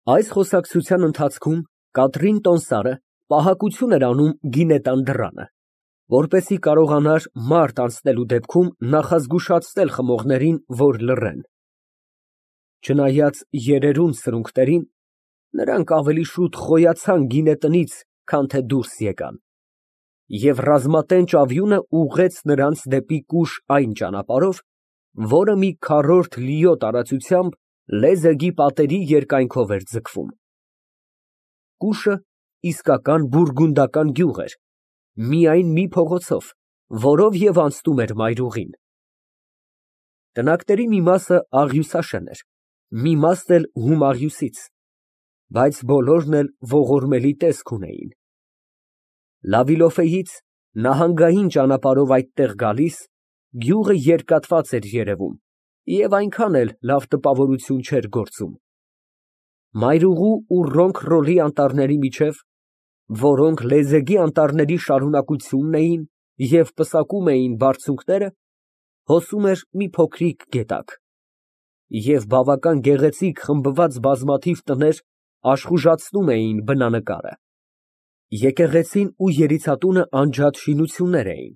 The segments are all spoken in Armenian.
Այս խոսակցության ընթացքում Կատրին Տոնսարը պահակություն էր անում գինետան դռանը, որպեսզի կարողանար մարդ անցնելու դեպքում նախազգուշացնել խմողներին, որ լռեն. չնայած երերուն սրունքներին, նրանք ավելի շուտ խոյացան գինետնից, քան թե դուրս եկան, և ռազմատենչ ավյունը ուղղեց նրանց դեպի կուշ այն ճանապարհով, որը մի քառորդ լիո տարածությամբ լեզեգի պատերի երկայնքով էր ձգվում։ Կուշը իսկական բուրգունդական գյուղ էր, միայն մի փողոցով, որով և անցնում էր մայրուղին։ Տնակների մի մասը աղյուսաշեն էր, մի մասն էլ հում աղյուսից, բայց բոլորն էլ ողորմելի տեսք ունեին։ Նահանգային ճանապարհով այդտեղ գալիս, գյուղը երկատված էր երևում և այնքան էլ լավ տպավորություն չէր գործում։ Մայրուղու ու Ռոնք֊Ռոլի անտառների միջև, որոնք լեզեգի անտառների շարունակությունն էին և պսակում էին բարձունքները, հոսում էր մի փոքրիկ գետակ, և բավական գեղեցիկ խմբված բազմաթիվ տներ աշխուժացնում էին բնանկարը։ Եկեղեցին ու երիցատունը անջատ շինություններ էին,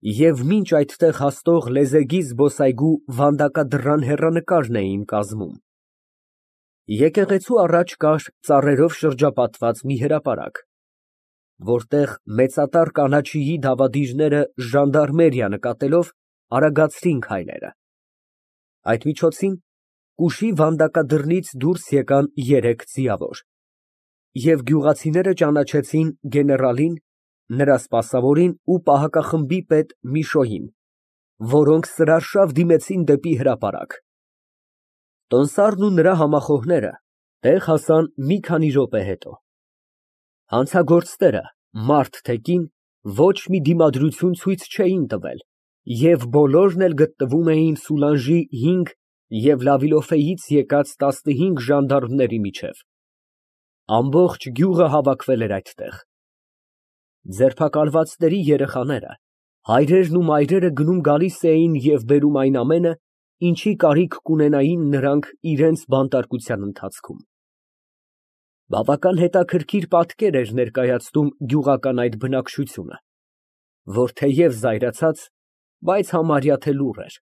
և մինչ այդտեղ հասնող լեզեգի զբոսայգու վանդակադռան հեռանկարն էին կազմում։ Եկեղեցու առաջ կար ծառերով շրջապատված մի հրապարակ, որտեղ մեծատառ կանաչիի դավադիրները ժանդարմերիա նկատելով արագացրին քայլերը։ Այդ միջոցին կուշի վանդակադռնից դուրս եկան երեք ձիավոր, և գյուղացիները ճանաչեցին գեներալին, նրա սպասավորին ու պահակախմբի պետ Միշոյին, որոնք սրարշավ դիմեցին դեպի հրապարակ։ Տոնդսարն ու նրա համախոհները տեղ հասան մի քանի րոպե հետո։ Հանցագործները, մարդ թե կին, ոչ մի դիմադրություն ցույց չէին տվել և բոլորն էլ գտնվում էին Սուլանժի 5 և Լավիլոֆեից եկած 15 ժանդարմների միջև։ Ամբողջ գյուղը հավաքվել էր այդտեղ։ Ձերբակալվածների երեխաները, հայրերն ու մայրերը գնում֊գալիս էին և բերում այն ամենը, ինչի կարիք կունենային նրանք իրենց բանտարկության ընթացքում։ Բավական հետաքրքիր պատկեր էր ներկայացնում գյուղական այդ բնակչությունը, որ թեև զայրացած, բայց համարյա թե լուռ էր,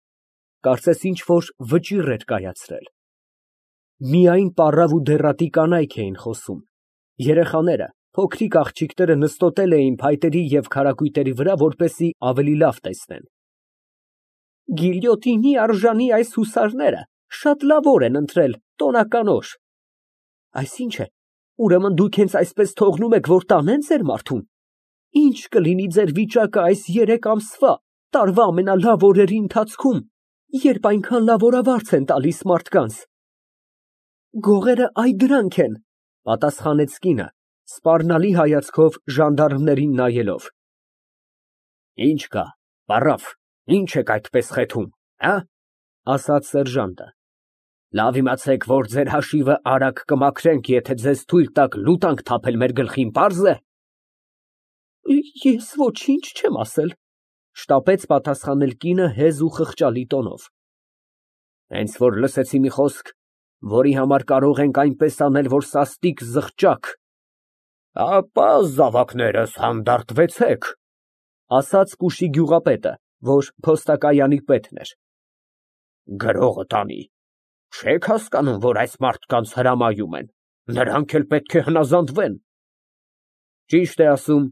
կարծես ինչ֊որ վճիռ էր կայացրել։ Միայն պառավ ու դեռատի կանայք էին խոսում, երեխաները, փոքրիկ աղջիկները նստոտել էին փայտերի և քարակույտերի վրա, որպեսզի ավելի լավ տեսնեն։ Գիլյոտինի արժանի այս հուսարները շատ լավոր են ընտրել, տոնականոր։ Այսինչ է, ուրեմն դուք հենց այսպես թողնում եք, որ տանեն ձեր մարդուն։ Ի՞նչ կլինի ձեր վիճակը այս 3 ամսվա, տարվա ամենալավ օրերի ընթացքում, երբ այնքան լավորավարձ են տալիս մարդկանց։ Գողերը այ դրանք են, պատասխանեց կինը, սպառնալի հայացքով ժանդարմներին նայելով։ Ինչ կա, պառավ, ինչ եք այդպես խեթում, ասաց սերժանտը։ Լավ իմացեք, որ ձեր հաշիվը արագ կմաքրենք, եթե ձեզ թույլ տաք լուտանք թափել մեր գլխին, պարզ է։ Ես ոչինչ չեմ ասել, շտապեց պատասխանել կինը հեզ ու խղճալի տոնով։ Հենց որ լսեցի մի խոսք, որի համար կարող ենք այնպես անել, որ սաստիկ զղջաք, ապա զավակներս հանդարտվեցեք, ասաց կուշի գյուղապետը, որ փոստակայանի պետն էր։ Գրողը տանի, չեք հասկանում, որ այս մարդկանց հրամայում են, նրանք էլ պետք է հնազանդվեն։ Ճիշտ է ասում,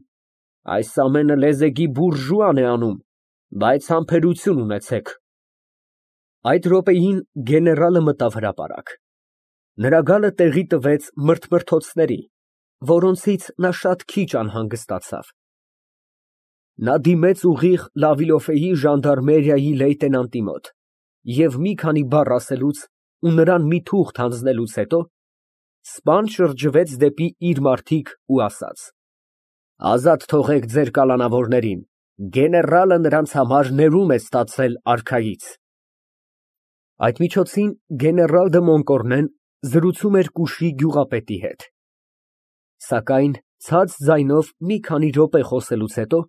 այս ամենը լեզեգի բուրժուան է անում, բայց համբերություն ունեցեք։ Այդ րոպեին գեներալը մտավ հրապարակ։ Նրա գալը տեղի տվեց մրթմրթոցների, որոնցից նա շատ քիչ անհանգստացավ։ Նա դիմեց ուղիղ Լավիլոֆեի ժանդարմերիայի լեյտենանտի մոտ և մի քանի բառ ասելուց ու նրան մի թուղթ հանձնելուց հետո սպան շրջվեց դեպի իր մարդիկ ու ասաց. Ազատ թողեք ձեր կալանավորներին, գեներալը նրանց համար ներում է ստացել արքայից։ Այդ միջոցին գեներալ դը Մոնկորնեն զրուցում էր կուշի գյուղապետի հետ։ Սակայն ցած ձայնով մի քանի րոպե խոսելուց հետո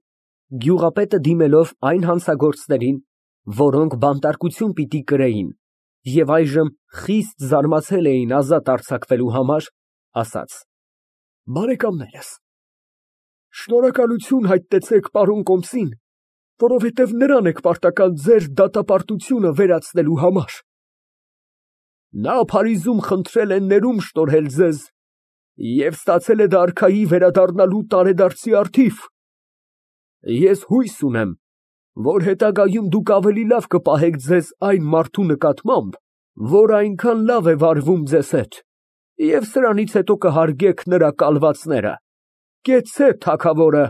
գյուղապետը դիմելով այն հանցագործներին, որոնք բանտարկություն պիտի կրեին, Եվ այժմ խիստ զարմացել էին ազատ արձակվելու համար, ասաց. Բարեկամներս, շնորհակալություն հայտնեցեք պարոն Կոմսին, որովհետև նրան եք պարտական ձեր դատապարտությունը վերացնելու համար. նա Փարիզում խնդրել է ներում շնորհել ձեզ և ստացել է դա արքայի վերադառնալու տարեդարձի առթիվ. ես հույս ունեմ, որ հետագայում դուք ավելի լավ կպահեք ձեզ այն մարդու նկատմամբ, որ այնքան լավ է վարվում ձեզ հետ, և սրանից հետո կհարգեք նրա կալվածները։ Կեցցե թագավորը։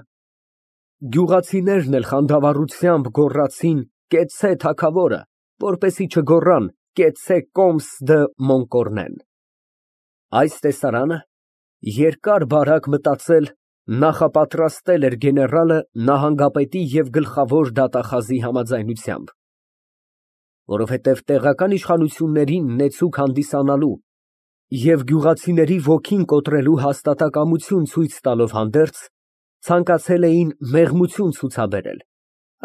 Գյուղացիներն էլ խանդավառությամբ գոռացին. Կեցցե թագավորը, որպեսզի չգոռան. Կեցցե Կոմս դը Մոնկորնեն։ Այս տեսարանը երկար֊բարակ մտածել, նախապատրաստել էր գեներալը նահանգապետի և գլխավոր դատախազի համաձայնությամբ, որովհետև տեղական իշխանություններին նեցուկ հանդիսանալու և գյուղացիների ոգին կոտրելու հաստատակամություն ցույց տալով հանդերձ, ցանկացել էին մեղմություն ցուցաբերել,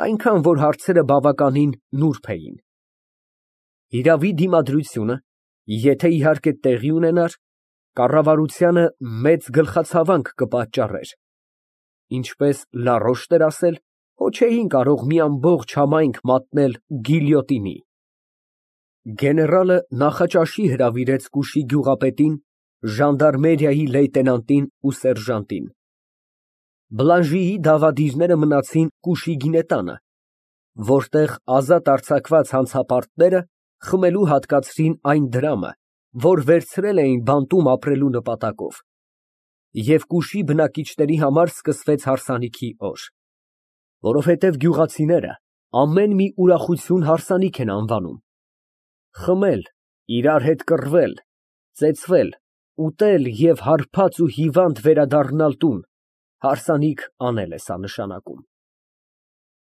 այնքան որ հարցերը բավականին նուրբ էին։ Իրավի դիմադրությունը, եթե իհարկե տեղի ունենար, կառավարությանը մեծ գլխացավանք կպատճառեր, ինչպես Լարոշն էր ասել, հո չէին կարող մի ամբողջ համայնք մատնել գիլյոտինի։ Գեներալը նախաճաշի հրավիրեց Կուշի գյուղապետին, ժանդարմերիայի լեյտենանտին ու սերժանտին։ Բլանժիի դավադիրները մնացին Կուշի գինետանը, որտեղ ազատ արձակված հանցապարտները խմելու հատկացրին այն դրամը, որ վերցրել էին բանտում ապրելու նպատակով, և Կուշի բնակիչների համար սկսվեց հարսանիքի օր, որովհետև գյուղացիները ամեն մի ուրախություն հարսանիք են անվանում։ Խմել, իրար հետ կռվել, ծեծվել, ուտել և հարբած ու հիվանդ վերադառնալ տուն, հարսանիք անել է սա նշանակում։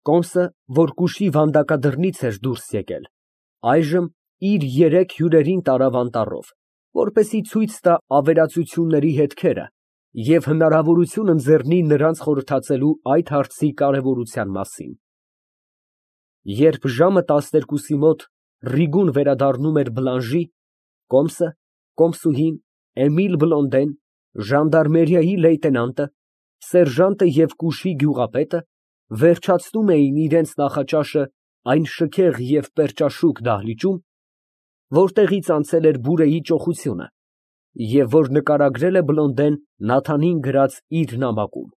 Կոմսը, որ Կուշի վանդակադրնից էր դուրս եկել, այժմ իր երեք հյուրերին տարավ անտառով, որպեսզի ցույց տա ավերածությունների հետքերը և հնարավորություն ընձեռնի նրանց խորհրդածելու այդ հարցի կարևորության մասին։ Երբ ժամը 12-ի մոտ Ռիգուն վերադառնում էր Բլանժի, Կոմսը, Կոմսուհին, Էմիլ Բլոնդեն, ժանդարմերիայի լեյտենանտը, սերժանտը և Կուշի գյուղապետը վերջացնում էին իրենց նախաճաշը այն շքեղ և պերճաշուք դահլիճում, որտեղից անցել էր բուրեի ճոխությունը և որ նկարագրել է Բլոնդեն Նաթանին գրած իր նամակում։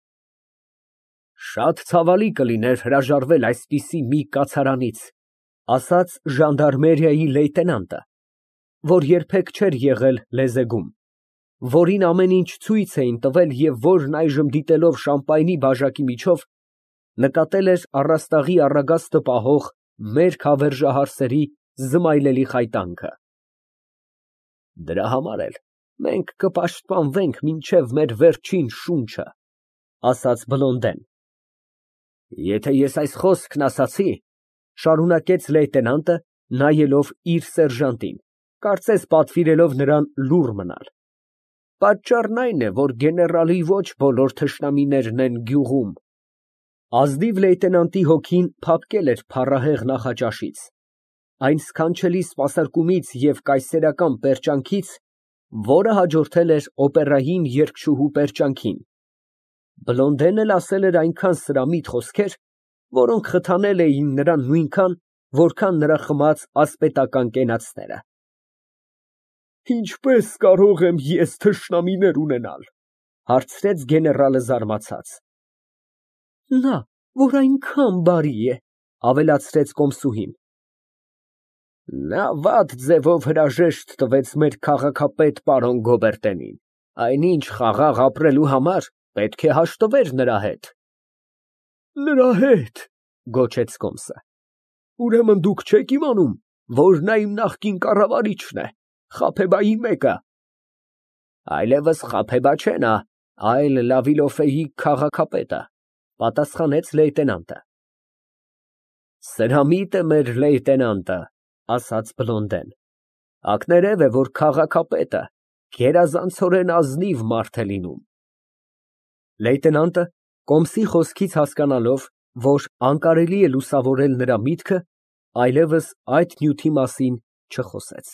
Շատ ցավալի կլիներ հրաժարվել այսպիսի մի կացարանից, ասաց ժանդարմերիայի լեյտենանտը, որ երբեք չէր եղել Լեզեգում, որին ամեն ինչ ցույց էին տվել և որն այժմ դիտելով շամպայնի բաժակի միջով նկատել էր առաստաղի առագաստը պահող մերկ հավերժահարսերի զմայլելի խայտանքը։ Դրա համար էլ մենք կպաշտպանվենք մինչև մեր վերջին շունչը, ասաց Բլոնդեն։ Եթե ես այս խոսքն ասացի, շարունակեց լեյտենանտը, նայելով իր սերժանտին, կարծես պատվիրելով նրան լուռ մնալ, պատճառն այն է, որ գեներալի ոչ բոլոր թշնամիներն են գյուղում։ Ազնիվ լեյտենանտի հոգին փափկել էր փառահեղ նախաճաշից, այն սքանչելի սպասարկումից և կայսերական պերճանքից, որը հաջորդել էր օպերային երգչուհու պերճանքին։ Բլոնդենն էլ ասել էր այնքան սրամիտ խոսքեր, որոնք խթանել էին նրան նույնքան, որքան նրա խմած ասպետական կենացները։ Ինչպե՞ս կարող եմ ես թշնամիներ ունենալ, հարցրեց գեներալը զարմացած։ Նա, որ այնքան բարի է, ավելացրեց Կոմսուհին։ Նա վատ ձևով հրաժեշտ տվեց մեր քաղաքապետ պարոն Գոբերտենին, այնինչ խաղաղ ապրելու համար պետք է հաշտվեր նրա հետ։ Նրա հետ, գոչեց Կոմսը։ Ուրեմն դուք չեք իմանում, որ նա իմ նախկին կառավարիչն է, Խաբեբայի մեկը։ Այլևս Խաբեբա չէ նա, այլ Լավիլոֆեի քաղաքապետը, պատասխանեց լեյտենանտը։ Սրամիտ է մեր լեյտենանտը, ասաց Բլոնդեն։ Ակներև է, որ քաղաքապետը գերազանցորեն ազնիվ մարդ է լինում։ Լեյտենանտը, Կոմսի խոսքից հասկանալով, որ անկարելի է լուսավորել նրա միտքը, այլևս այդ նյութի մասին Չխոսեց։